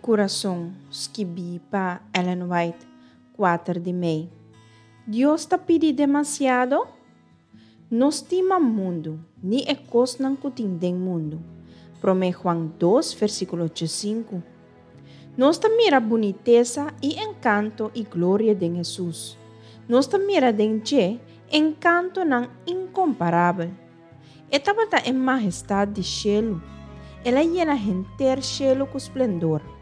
kurason, skibí pa Ellen White, kuater di mei. Dios ta pidi demasiado? No stima mundu, ni e kosnan ku tin den mundu. Promé Juan dos, versíkulo djesinku. Nos ta mira bunitesa i enkanto i gloria den Hesus. Nos ta mira den dje enkantonan inkomparabel. E tabata e mahestat di shelu. El a yena henter shelu ku splendor.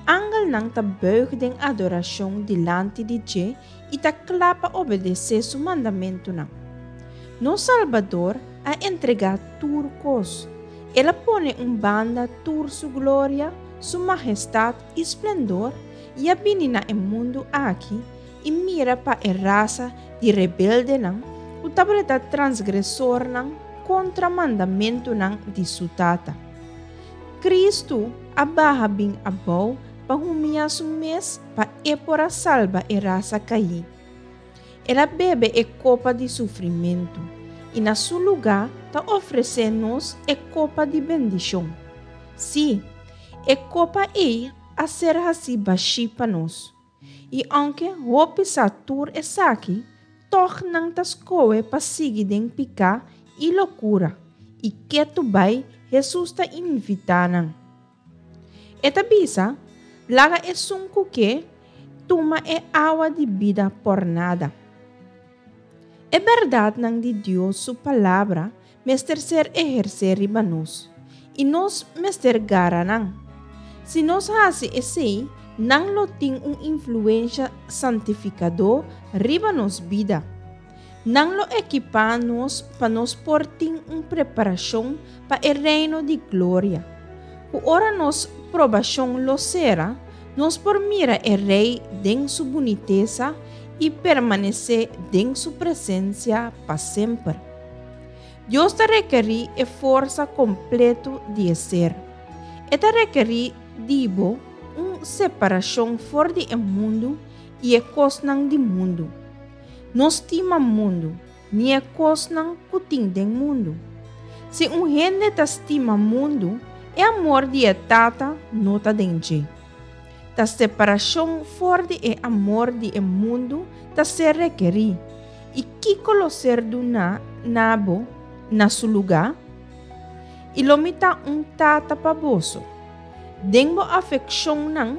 Angelnan ta buig den adorashon dilanti di dje i ta kla pa obedesé su mandamentunan. Nos Salbador a entregá tur kos. El a pone un banda tur su gloria, su mahestat i splendor i a bini na e mundu aki i mira pa e rasa di rebeldenan ku tabata transgresornan kontra mandamentunan di su Tata. Kristu a baha bin abou pa humiá su mes pa e por a salba e rasa kaí. El a bebe e kopa di sufrimentu i na su lugá ta ofresé nos e kopa di bendishon. Sí, e kopa ei a ser hasí bashí pa nos. I ounke hopi sa tur esaki, tòg nan ta skohe pa sigui den piká i lokura, i ketu bai Hesus ta invitá nan. E ta bisa, Laga esun ku ke, tuma e awa di bida pòrnada. E bèrdatnan di Dios su Palabra mester ser ehersé riba nos, i nos mester gara nan. Si nos hasi esei, nan lo tin un influensha santifikadó riba nos bida. Nan lo ekipá nos pa nos por tin un preparashon pa e Reino di gloria. Ku ora nos probashon lo sera, nos por mira e Rei den su bunitesa i permanesé den su presensia pa semper. Dios ta rekerí e forsa kompletu di e ser. E ta rekerí di bo un separashon for di e mundu i e kosnan di mundu. No stima mundu, ni e kosnan ku tin den mundu. Si un hende ta stima mundu, e amor di e Tata no ta den dje. Ta separashon for di e amor di e mundu ta ser rekerí. I kiko lo ser duná na bo na su lugá? I lo mi ta un tata pa boso. Den bo afekshonnan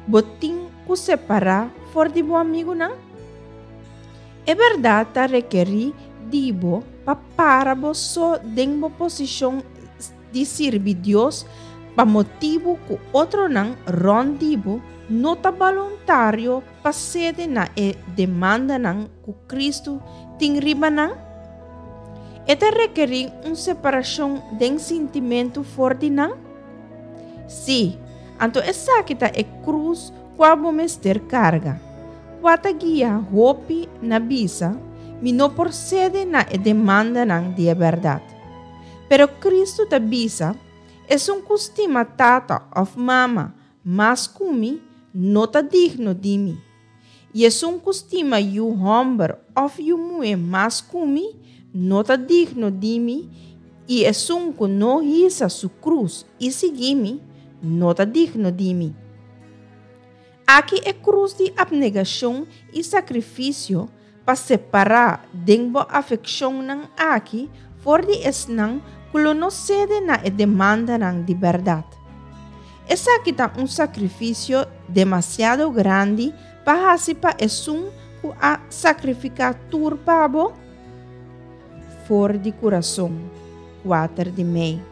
bo tin ku separá for di bo amigunan? E bèrdat ta rekerí di bo pa para bo so den bo posishon di sirbi Dios pa motibu ku otronan rònt di bo no ta boluntario pa sede na e demandanan ku Kristu tin riba nan? E ta rekerí un separashon den sintimentu for di nan? Sí, anto esaki ta e krus kua bo mester karga, kua ta guia hopi na bisa, Mi no por sede na e demandanan di e bèrdat. Pero Kristu ta bisa, Esun ku stima tata òf mama Mas ku mi no ta digno di mi. I esun ku stima yu hòmber òf yu muhé mas ku mi no ta digno di mi, i esun ku no hisa su krus i sigui mi no ta digno di mi. Aki e krus di apnegashon i sakrifisio pa separá den bo afekshonnan aki for di esnan ku lo no sede na e demandanan di bèrdat. Esaki ta un sakrifisio demasiado grandi pa hasi pa esun ku a sakrifiká tur pa bo? For di kurason, kuater di mei.